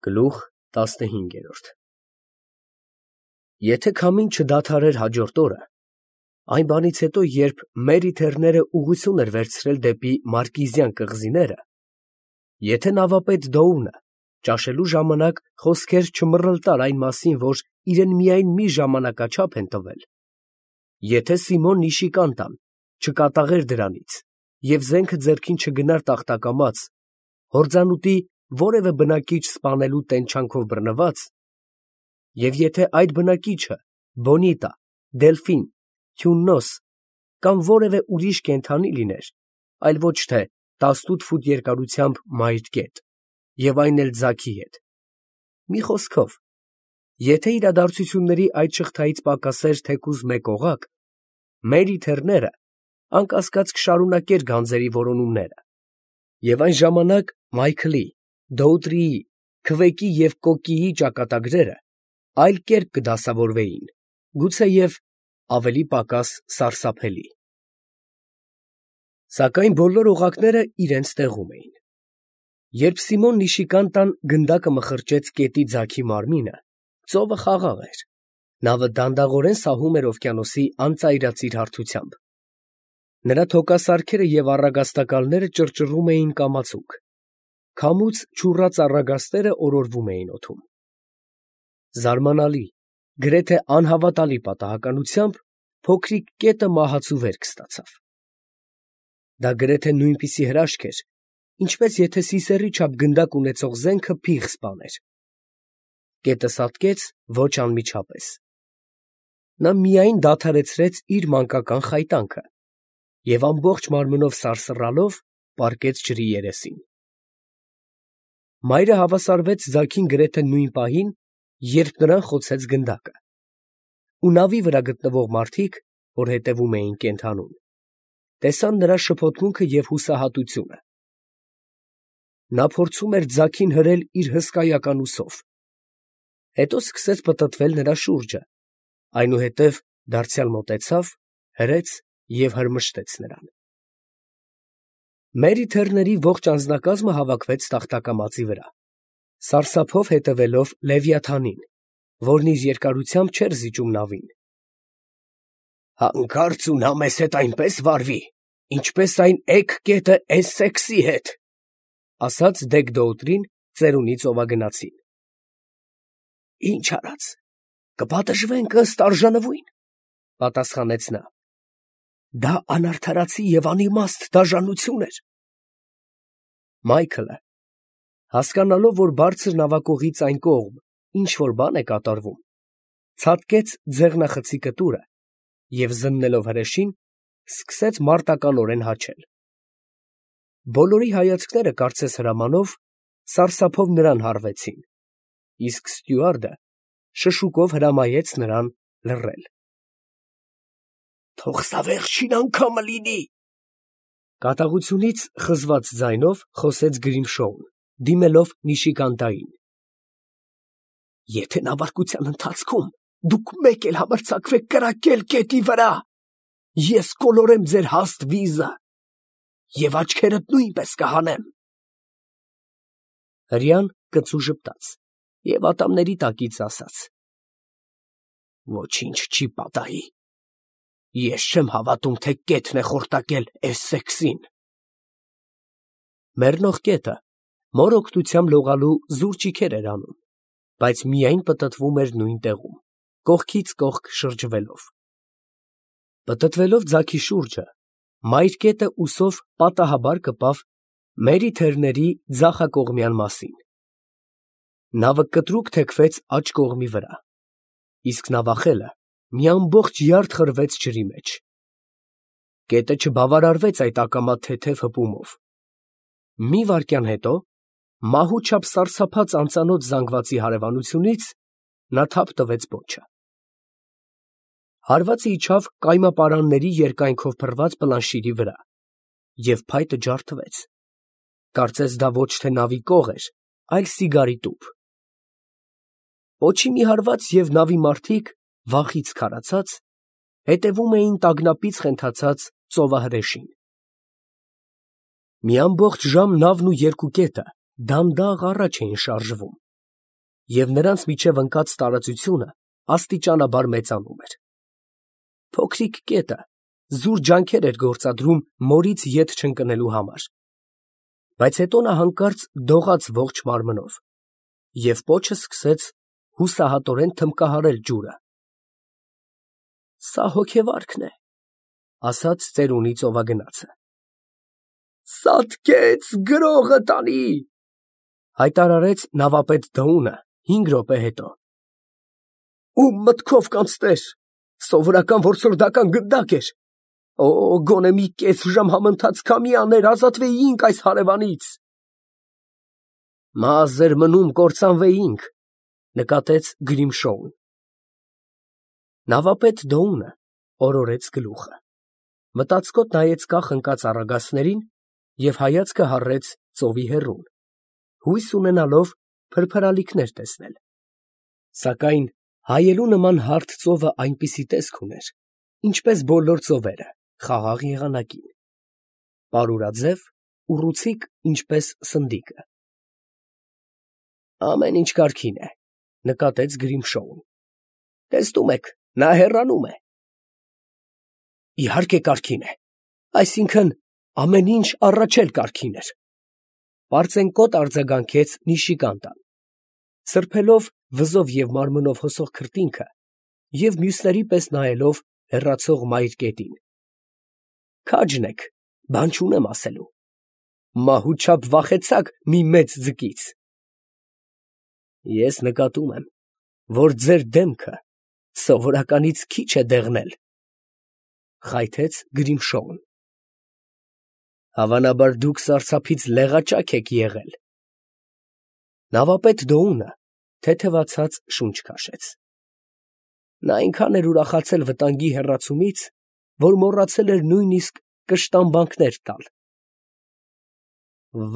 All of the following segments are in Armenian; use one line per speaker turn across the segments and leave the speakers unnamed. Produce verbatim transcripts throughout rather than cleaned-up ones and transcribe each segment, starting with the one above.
Գլուխ տասնհինգ։ Եթե քամին չդադարեր հաջորդ օրը, այն բանից հետո, երբ Մերի Թեռները ուղղություն էր վերցրել դեպի Մարկիզյան կղզիները, եթե նավապետ Դոունը ճաշելու ժամանակ խոսքեր չմռլտար այն մասին, որ իրեն միայն մի ժամանակաչափ են տվել, եթե Սիմոն Նիշիկանտան չկատաղեր դրանից և զենքը ձեռքին չգնար տախտակամաց, հորձանուտի որևէ բնակիչ սպանելու տենչանքով բռնված, և եթե այդ բնակիչը Բոնիտա, Դելֆին, Քյուննոս կամ որևէ ուրիշ կենդանի լիներ, այլ ոչ թե տասնութ ֆուտ երկարությամբ մայր կետ, և այն էլ ձագի հետ, մի խոսքով, եթե իրադարձությունների այդ շղթայից պակասեր թեկուզ մեկ օղակ, Մերի Թեռները անկասկած կշարունակեր գանձերի որոնումները, և այն ժամանակ Մայքլի, Դոուտրիի, Քվեկի և Կոկկիի ճակատագրերը այլ կերպ կդասավորվեին, գուցեև ավելի պակաս սարսափելի։ Սակայն բոլոր օղակները իրենց տեղում էին։ Երբ Սիմոն Նիշիկանտան գնդակը մխրճեց կետի ձագի մարմինը, ծովը խաղաղ էր, նավը դանդաղորեն սահում էր օվկիանոսի անծայրածիր հարթությամբ։ Նրա թոքասարքերը և առագաստակալները ճռճռում էին կամացուկ, քամուց չուռած առագաստերը օրորվում էին օդում։ Զարմանալի, գրեթե անհավատալի պատահականությամբ փոքրիկ կետը մահացու վերք ստացավ։ Դա գրեթե նույնպիսի հրաշք էր, ինչպես եթե սիսեռի չափ գնդակ ունեցող զենքը փիղ սպաներ։ Կետը սատկեց ոչ անմիջապես։ Նա միայն դադարեցրեց իր մանկական խայտանքը և ամբողջ մարմնով սարսռալով պառկեց ջրի երեսին։ Մայրը հավասարվեց ձագին գրեթե նույն պահին, երբ նրան խոցեց գնդակը, ու նավի վրա գտնվող մարդիկ, որ հետևում էին կենդանուն, տեսան նրա շփոթմունքը և հուսահատությունը։ Նա փորձում էր ձագին հրել իր հսկայական ուսով, հետո սկսեց պտտվել նրա շուրջը, այնուհետև դարձյալ մոտեցավ, հրեց և հրմշտեց նրան։ Մերի Թեռների ողջ անձնակազմը հավաքվեց տախտակամածի վրա, սարսափով հետևելով Լևիաթանին, որն իր երկարությամբ չէր զիջում նավին։ «Հանկարծ ու նա մեզ հետ այնպես վարվի, ինչպես այն էգ կետը Էսսեքսի հետ», ֊ ասաց Դեգ֊Դոուտրին ծերունի ծովագնացին։ ֊ Ի՞նչ արած, կպատժվենք ըստ արժանվույն, ֊ պատասխանեց նա։ Դա անարդարացի և անիմաստ դաժանություն էր։ Մայքլը, հասկանալով, որ բարձր նավակողից այն կողմ ինչ֊որ բան է կատարվում, ցատկեց ձեղնախցի կտուրը և, զննելով հրեշին, սկսեց մարտականորեն հաչել։ Բոլորի հայացքները, կարծես հրամանով, սարսափով նրան հառվեցին, իսկ ստյուարդը շշուկով հրամայեց նրան լռել։ «Թող սա վերջին անգամը լինի, ֊ կատաղությունից խզված ձայնով խոսեց Գրիմշոուն, դիմելով Նիշիկանտային։ ֊ Եթե նավարկության ընթացքում դուք մեկ էլ համարձակվեք կրակել կետի վրա, ես կոլորեմ ձեր հաստ վիզը և աչքերդ նույնպես կհանեմ։ Հրեան կծու ժպտաց և ատամների տակից ասաց. «Ոչինչ չի պատահի, ես չեմ հավատում, թե կետն է խորտակել Էսսեքսին»։ Մեռնող կետը մոր օգնությամբ լողալու զուր ճիգեր էր անում, բայց միայն պտտվում էր նույն տեղում, կողքից կողք շրջվելով։ Պտտվելով ձագի շուրջը, մայր կետը ուսով պատահաբար կպավ Մերի Թեռների ձախակողմյան մասին։ Նավը կտրուկ թեքվեց աջ կողմի վրա, իսկ նավախելը մի ամբողջ յարդ խրվեց ջրի մեջ։ Կետը չբավարարվեց այդ ակամա թեթև հպումով։ Մի վայրկյան հետո, մահու չափ սարսափած անծանոթ զանգվածի հարևանությունից, նա թափ տվեց պոչը։ Հարվածը իջավ կայմապարանների երկայնքով փռված պլանշիրի վրա, և փայտը ջարդվեց, կարծես դա ոչ թե նավի կող էր, այլ սիգարի տուփ։ Պոչի մի հարված և նավի մարդիկ, վախից քարացած, հետևում էին տագնապից խենթացած ծովահրեշին։ Մի ամբողջ ժամ նավն ու երկու կետը դանդաղ առաջ էին շարժվում, և նրանց միջև ընկած տարածությունը աստիճանաբար մեծանում էր։ Փոքրիկ կետը զուր ջանքեր էր գործադրում մորից ետ չընկնելու համար, բայց հետո նա հանկարծ դողաց ողջ մարմնով և պոչը սկսեց հուսահատորեն թմբկահարել ջուրը։ «Սա հոգեվարքն է», ֊ ասաց ծերունի ծովագնացը։ «Սատկեց գրողը տանի», ֊ հայտարարեց նավապետ Դոունը հինգ րոպե հետո։ «Ո՞ւմ մտքով կանցներ, սովորական որսորդական գնդակ էր։ Օ, գոնե մի կես ժամ համընթաց քամի աներ, ազատվեինք այս հարևանից»։ «Մազեր մնում կործանվեինք», ֊ նկատեց Գրիմշոուն։ Նավապետ Դոունը օրորեց գլուխը, մտածկոտ նայեց կախ ընկած առագաստներին և հայացքը հառեց ծովի հեռուն, հույս ունենալով փրփրալիքներ տեսնել, սակայն հայելու նման հարթ ծովը այնպիսի տեսք ուներ, ինչպես բոլոր ծովերը խաղաղ եղանակին, պարուրաձև, ուռուցիկ, ինչպես սնդիկը։ «Ամեն ինչ կարգին է», ֊ նկատեց Գրիմշոուն։ «Տեսնում եք, նա հեռանում է»։ «Իհարկե կարգին է, այսինքն ամեն ինչ առաջ էլ կարգին էր», ֊ պարծենկոտ արձագանքեց Նիշիկանտան, սրբելով վզով և մարմնով հոսող քրտինքը և մյուսների պես նայելով հեռացող մայր կետին։ «Քաջն եք, բան չունեմ ասելու։ Մահու չափ վախեցաք մի մեծ ձկից»։ «Ես նկատում եմ, որ ձեր դեմքը սովորականից քիչ է դեղնել», ֊ խայթեց Գրիմշոուն։ «Հավանաբար դուք սարսափից լեղաճակ եք եղել»։ Նավապետ Դոունը թեթևացած շունչ քաշեց։ Նա այնքան էր ուրախացել վտանգի հեռացումից, որ մոռացել էր նույնիսկ կշտամբանքներ տալ։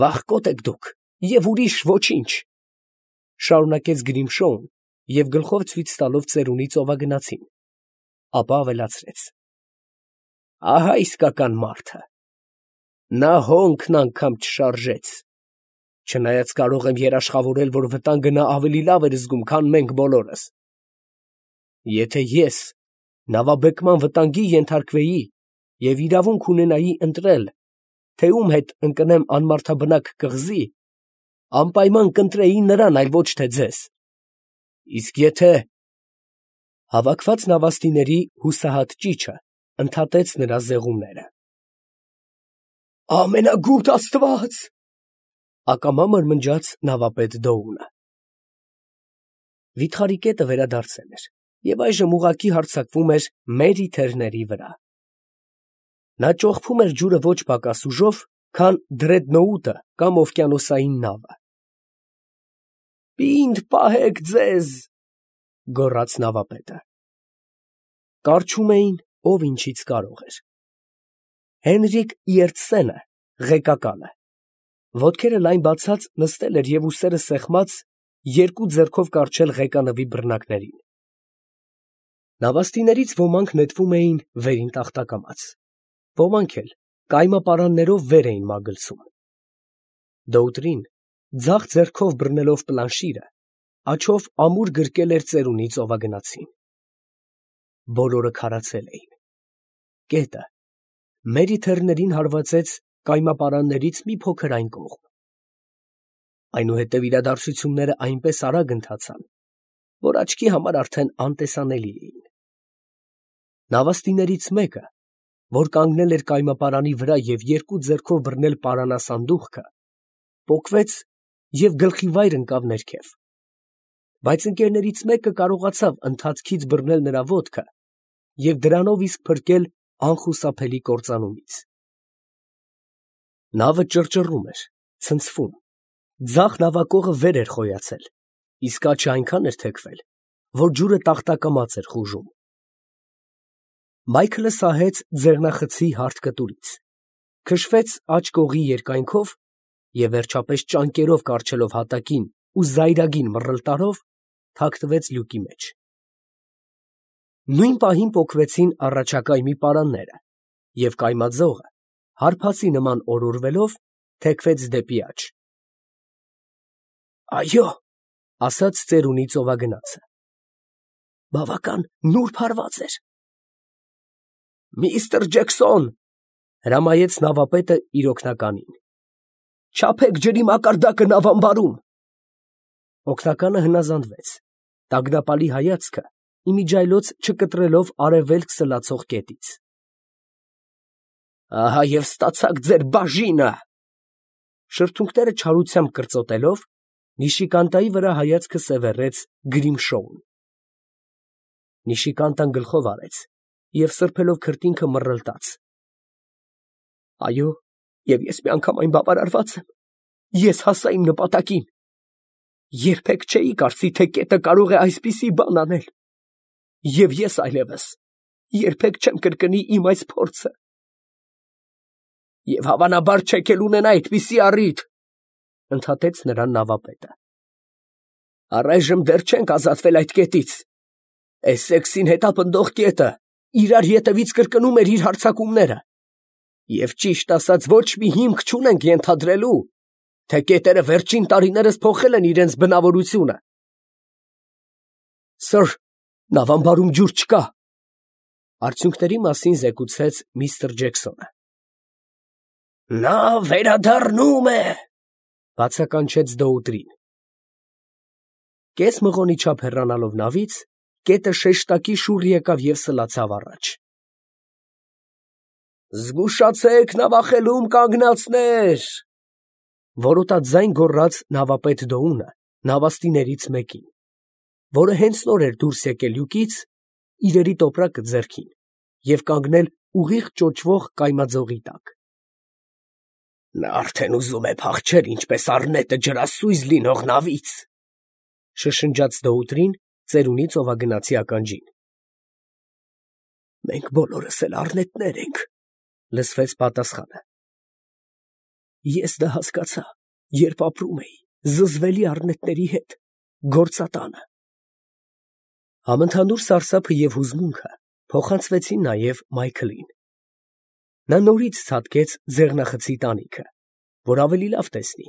«Վախկոտ եք դուք և ուրիշ ոչինչ», ֊ շարունակեց Գրիմշոուն և գլխով ցույց տալով ծերունի ծովագնացին, ապա ավելացրեց. «Ահա իսկական մարդը։ Նա հոնքն անգամ չշարժեց, չնայած կարող եմ երաշխավորել, որ վտանգը նա ավելի լավ էր զգում, քան մենք բոլորս։ Եթե ես նավաբեկման վտանգի ենթարկվեի և իրավունք ունենայի ընտրել, թե ում հետ ընկնեմ անմարդաբնակ կղզի, անպայման կընտրեի նրան, այլ ոչ թե ձեզ։ Իսկ եթե…» Հավաքված նավաստիների հուսահատ ճիչը ընդհատեց նրա զեղումները։ «Ամենագութ Աստված», ֊ ակամա մրմնջաց նավապետ Դոունը։ Վիթխարի կետը վերադարձել էր և այժմ ուղղակի հարձակվում էր մերի թեռների վրա։ Նա ճողփում էր ջուրը ոչ պակաս ուժով, քան դրեդնոուտը կամ օվկիանոսային նավը։ «Պինդ պահեք ձեզ», ֊ գոռաց նավապետը։ Կառչում էին, ով ինչից կարող էր։ Հենրիկ Իերտսենը, ղեկակալը, ոտքերը լայն բացած նստել էր և ուսերը սեղմած, երկու ձեռքով կառչել ղեկանվի բռնակներին։ Նավաստիներից ոմանք նետվում էին վերին տախտակամաց, ոմանք էլ կայմապարաններով վեր էին մագլցում։ Դոուտրին, ձախ ձեռքով բռնելով պլանշիրը, աջով ամուր գրկել էր ծերունի ծովագնացին։ Բոլորը քարացել էին։ Կետը մերի թեռներին հարվածեց կայմապարաններից մի փոքր այն կողմ։ Այնուհետև իրադարձությունները այնպես արագ ընթացան, որ աչքի համար արդեն անտեսանելի էին։ Նավաստիներից մեկը, որ կանգնել էր կայմապարանի վրա և երկու ձեռքով բռնել պարանասանդուղքը, պոկվեց և գլխիվայր ընկավ ներքև, բայց ընկերներից մեկը կարողացավ ընթացքից բռնել նրա ոտքը և դրանով իսկ փրկել անխուսափելի կործանումից։ Նավը ճռճռում էր, ցնցվում, ձախ նավակողը վեր էր խոյացել, իսկ աջը այնքան էր թեքվել, որ ջուրը տախտակամաց էր խուժում։ Մայքլը սահեց ձեղնախցի հարթ կտուրից, քշվեց աջ կողի երկայնքով և վերջապես ճանկերով կառչելով հատակին ու զայրագին մռլտարով, թաքնվեց լյուկի մեջ։ Նույն պահին պոկվեցին առաջակայմի պարանները, և կայմաձողը, հարբածի նման օրորվելով, թեքվեց դեպի աջ։ «Այո, ասաց ծերունի ծովագնացը։ Բավական նուրբ հարված էր։ Միստր Ջեքսոն, հրամայեց նավապետը իր օգնականին, չափեք ջրի մակարդակը նավամբարում։ Օգնականը հնազանդվեց, տագնապալի հայացքը իմիջայլոց չկտրելով արևելք սլացող կետից։ Ահա և ստացաք ձեր բաժինը։ Շրթունքները չարությամբ կրծոտելով, Նիշիկանտայի վրա հայացքը սևեռեց Գրիմշոուն։ Նիշիկանտան գլխով արեց և սրբելով քրտինքը մռլտաց։ Այո, և ես մի անգամ այն բավարարված եմ, ես հասա իմ նպատակին։ Երբեք չէի կարծի, թե կետը կարող է այսպիսի բան անել, և ես այլևս երբեք չեմ կրկնի իմ այս փորձը։ Եվ հավանաբար չեք էլ ունենա այդպիսի առիթ, ընդհատեց նրան նավապետը։ Առայժմ դեռ չենք ազատվել այդ կետից։ Էսսեքսին հետապնդող կետը իրար ետևից կրկնում էր իր հարձակումները, և ճիշտ ասած ոչ մի հիմք չունենք ենթադրելու, թե կետերը վերջին տարիներս փոխել են իրենց բնավորությունը։ Սըր, նավամբարում ջուր չկա, արդյունքների մասին զեկուցեց միստր Ջեքսոնը։ Նա վերադառնում է, բացականչեց Դոուտրին։ Կես մղոնի չափ հեռանալով նավից, կետը շեշտակի շուռ եկավ և սլացավ առաջ։ Զգուշացեք նավախելում կանգնածներ, որոտա ձայն գոռաց նավապետ Դոունը նավաստիներից մեկին, որը հենց նոր էր դուրս եկել լյուկից, իրերի տոպրակը ձեռքին, և կանգնել ուղիղ ճոճվող կայմաձողի տակ։ Նա արդեն ուզում է փախչել, ինչպես առնետը ջրասույզ լինող նավից, շշնջաց Դոուտրին ծերունի ծովագնացի ականջին։ Մենք բոլորս էլ առնետներ ենք, լսվեց պատասխանը։ Ես դա հասկացա, երբ ապրում էի զզվելի առնետների հետ գործատանը։ Համընդհանուր սարսափը և հուզմունքը փոխանցվեցին նաև Մայքլին։ Նա նորից ցատկեց ձեղնախցի տանիքը, որ ավելի լավ տեսնի,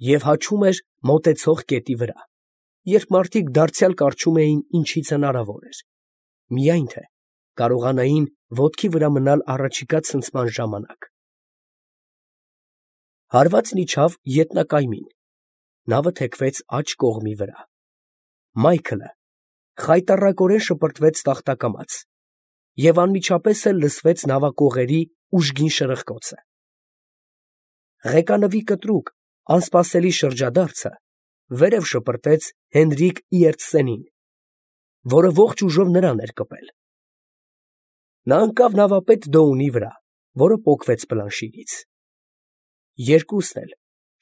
և հաչում էր մոտեցող կետի վրա, երբ մարդիկ դարձյալ կառչում էին ինչից հնարավոր էր, միայն թե կարողանային ոտքի վրա մնալ առաջիկա ցնցման ժամանակ։ Հարվածն իջավ ետնակայմին, նավը թեքվեց աջ կողմի վրա։ Մայքլը խայտառակորեն շպրտվեց տախտակամաց, և անմիջապես էլ լսվեց նավակողերի ուժգին շրխկոցը։ Ղեկանվի կտրուկ, անսպասելի շրջադարձը վերև շպրտեց Հենրիկ Իերտսենին, որը ողջ ուժով նրան էր կպել։ Նա ընկավ նավապետ Դոունի վրա, որը պոկվեց պլանշիրից։ Երկուսն էլ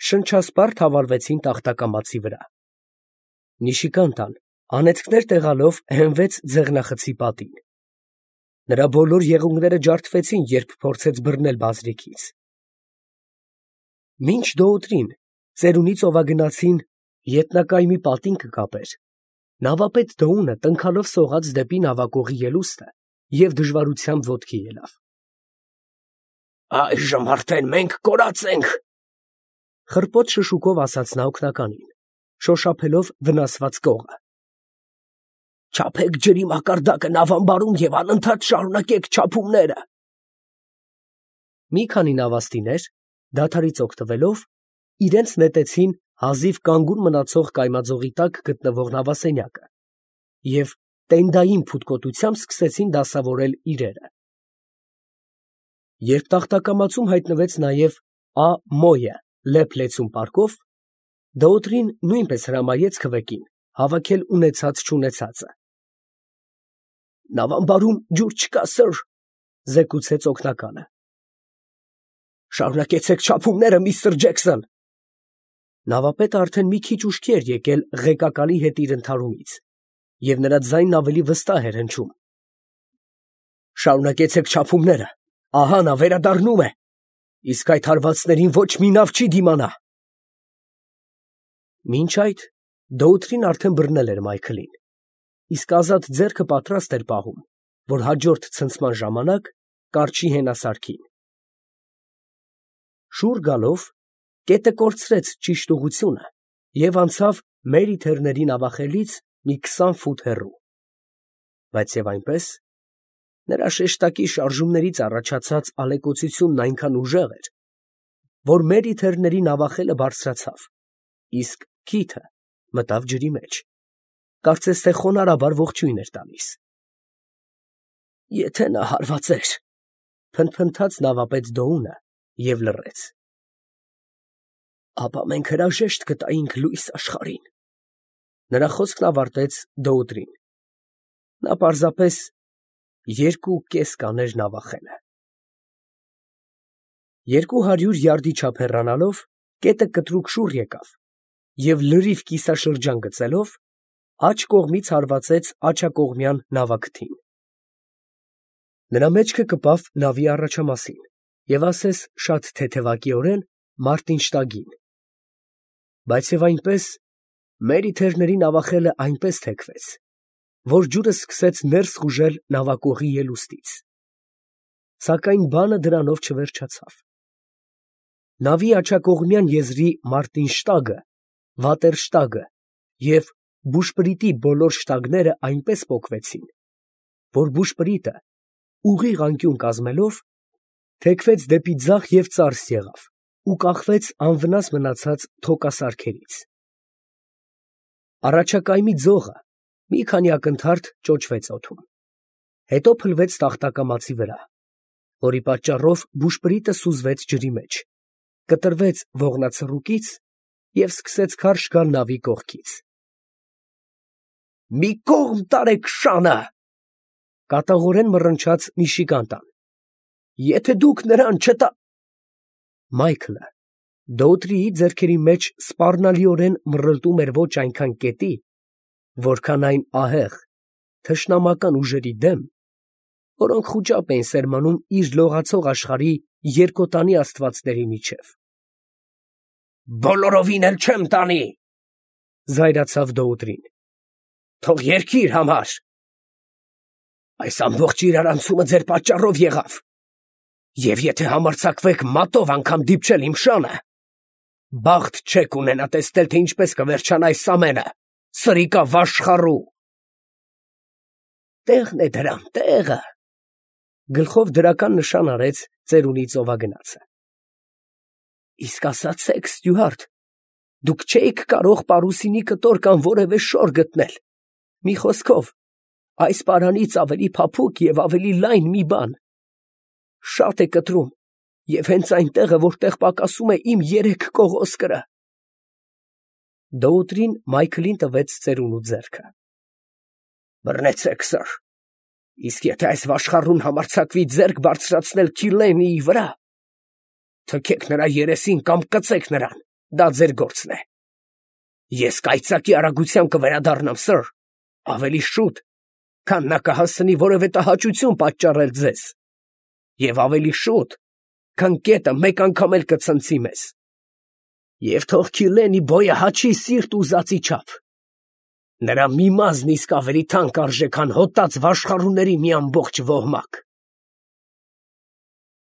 շնչասպառ թավալվեցին տախտակամածի վրա։ Նիշիկանտան անեծքներ տեղալով հենվեց ձեղնախցի պատին։ Նրա բոլոր եղունգները ջարդվեցին, երբ փորձեց բռնել բազրիքից։ Մինչ Դոուտրին ծերունի ծովագնացին ետնակայմի պատին կկապեր, նավապետ Դոունը տնքալով սողաց դեպի նավակողի ելուստը և դժվարությամբ ոտքի ելավ։ Այժմ արդեն մենք կորած ենք, խռպոտ շշուկով ասաց նա օգնականին, շոշափելով վնասված կողը։ Չափեք ջրի մակարդակը նավամբարում և անընդհատ շարունակեք չափումները։ Մի քանի նավաստիներ, դադարից օգտվելով, իրենց նետեցին հազիվ կանգուն մնացող կայմաձողի տակ գտնվող նավասենյակը և տենդային փութկոտությամբ սկսեցին դասավորել իրերը։ Երբ տախտակամածում հայտնվեց նաև Ա. Մոյը լեփ-լեցուն պարկով, Դոուտրին նույնպես հրամայեց քվեկին հավաքել ունեցած֊չունեցածը։ Նավամբարում ջուր չկա, սըր, զեկուցեց օգնականը։ Շարունակեցեք չափումները, միստր Ջեքսոն։ Նավապետը արդեն մի քիչ ուշքի էր եկել ղեկակալի հետ իր ընդհարումից, և նրա ձայնն ավելի վստահ էր հնչում։ Շարունակեցեք չափումները, ահա նա վերադառնում է, իսկ այդ հարվածներին ոչ մի նավ չի դիմանա։ Մինչ այդ Դոուտրին արդեն բռնել էր Մայքլին, իսկ ազատ ձեռքը պատրաստ էր պահում, որ հաջորդ ցնցման ժամանակ կառչի հենասարքին։ Շուռ գալով, կետը կորցրեց ճիշտ ուղղությունը և անցավ մերի թեռների նավախելից մի քսան ֆուտ հեռու, բայց և այնպես, նրա շեշտակի շարժումներից առաջացած ալեկոծությունն այնքան ուժեղ էր, որ մերի թեռների նավախելը բարձրացավ, իսկ քիթը մտավ ջրի մեջ, կարծես թե խոնարհաբար ողջույն էր տալիս։ Եթե նա հարվածեր, փնթփնթաց նավապետ Դոունը և լռեց, ապա մենք հրաժեշտ կտայինք լույս աշխարհին։ Նրա խոսքն ավարտեց Դոուտրին. նա պարզապես երկու կես կաներ նավախելը։ Երկու հարյուր յարդի չափ հեռանալով, կետը կտրուկ շուռ եկավ և լրիվ կիսաշրջան գծելով, աջ կողմից հարվածեց աջակողմյան նավակթին։ Նրա մեջքը կպավ նավի առաջամասին և ասես շատ թեթևակիորեն Մարտինշտագին, բայց և այնպես մերի թեռների նավախելը այնպես թեքվեց, որ ջուրը սկսեց ներս խուժել նավակողի ելուստից, սակայն բանը դրանով չվերջացավ։ Նավի աջակողմյան եզրի Մարտինշտագը, վատերշտագը և բուշպրիտի բոլոր շտագները այնպես պոկվեցին, որ բուշպրիտը, ուղիղ անկյուն կազմելով, թեքվեց դեպի ձախ և ծարս եղավ ու կախվեց անվնաս մնացած թոկասարքերից։ Առաջակայմի ձողը մի քանի ակնթարթ ճոճվեց օդում, հետո փլվեց տախտակամածի վրա, որի պատճառով բուշպրիտը սուզվեց ջրի մեջ, կտրվեց ողնացռուկից և սկսեց քարշ գալ նավի կողքից։ «Մի կողմ տարեք շանը», կատաղորեն մռնչաց մի շիկանտան, «եթե դուք նրան չտա…» Մայքլը Դոուտրիի ձեռքերի մեջ սպառնալիորեն մռլտում էր ոչ այնքան կետի, որքան այն ահեղ, թշնամական ուժերի դեմ, որոնք խուճապ էին սերմանում իր լողացող աշխարհի երկոտանի աստվածների միջև։ «Բոլորովին էլ չեմ տանի», զայրացավ Դոուտրին, «թող երգի իր համար»։ «Այս ամբողջ իրարանցումը ձեր պատճառով եղավ, և եթե համարձակվեք մատով անգամ դիպչել իմ շանը, բախտ չեք ունենա տեսնել, թե ինչպես կվերջանա այս ամենը, սրիկա վաշխառու»։ «Տեղն է դրան, տեղը», գլխով դրական նշան արեց ծերունի ծովագնացը։ «Իսկ ասացեք, ստյուարդ, դուք չէիք կարող պարուսինի կտոր կամ որևէ շոր գտնել, մի խոսքով, այս պարանից ավելի փափուկ և ավելի լայն մի բան։ Շատ է կտրում, և հենց այն տեղը, որտեղ պակասում է իմ երեք կողոսկրը»։ Դոուտրին Մայքլին տվեց ծերունու ձեռքը։ «Բռնեցեք, սըր, իսկ եթե այս վաշխառուն համարձակվի ձեռք բարձրացնել Քիլենիի վրա, թքեք նրա երեսին կամ կծեք նրան, դա ձեր գործն է։ Ես կայծակի արագությամբ կվերադառնամ, սըր, ավելի շուտ, քան նա կհասցնի որևէ տհաճություն պատճառել ձեզ, և ավելի շուտ, քան կետը մեկ անգամ էլ կցնցի մեզ։ Եվ թող Քիլենի բոյը հաչի սիրտ ուզածի չափ. նրա մի մազն իսկ ավելի թանկ արժե, քան հոտած վաշխառուների մի ամբողջ ոհմակ»։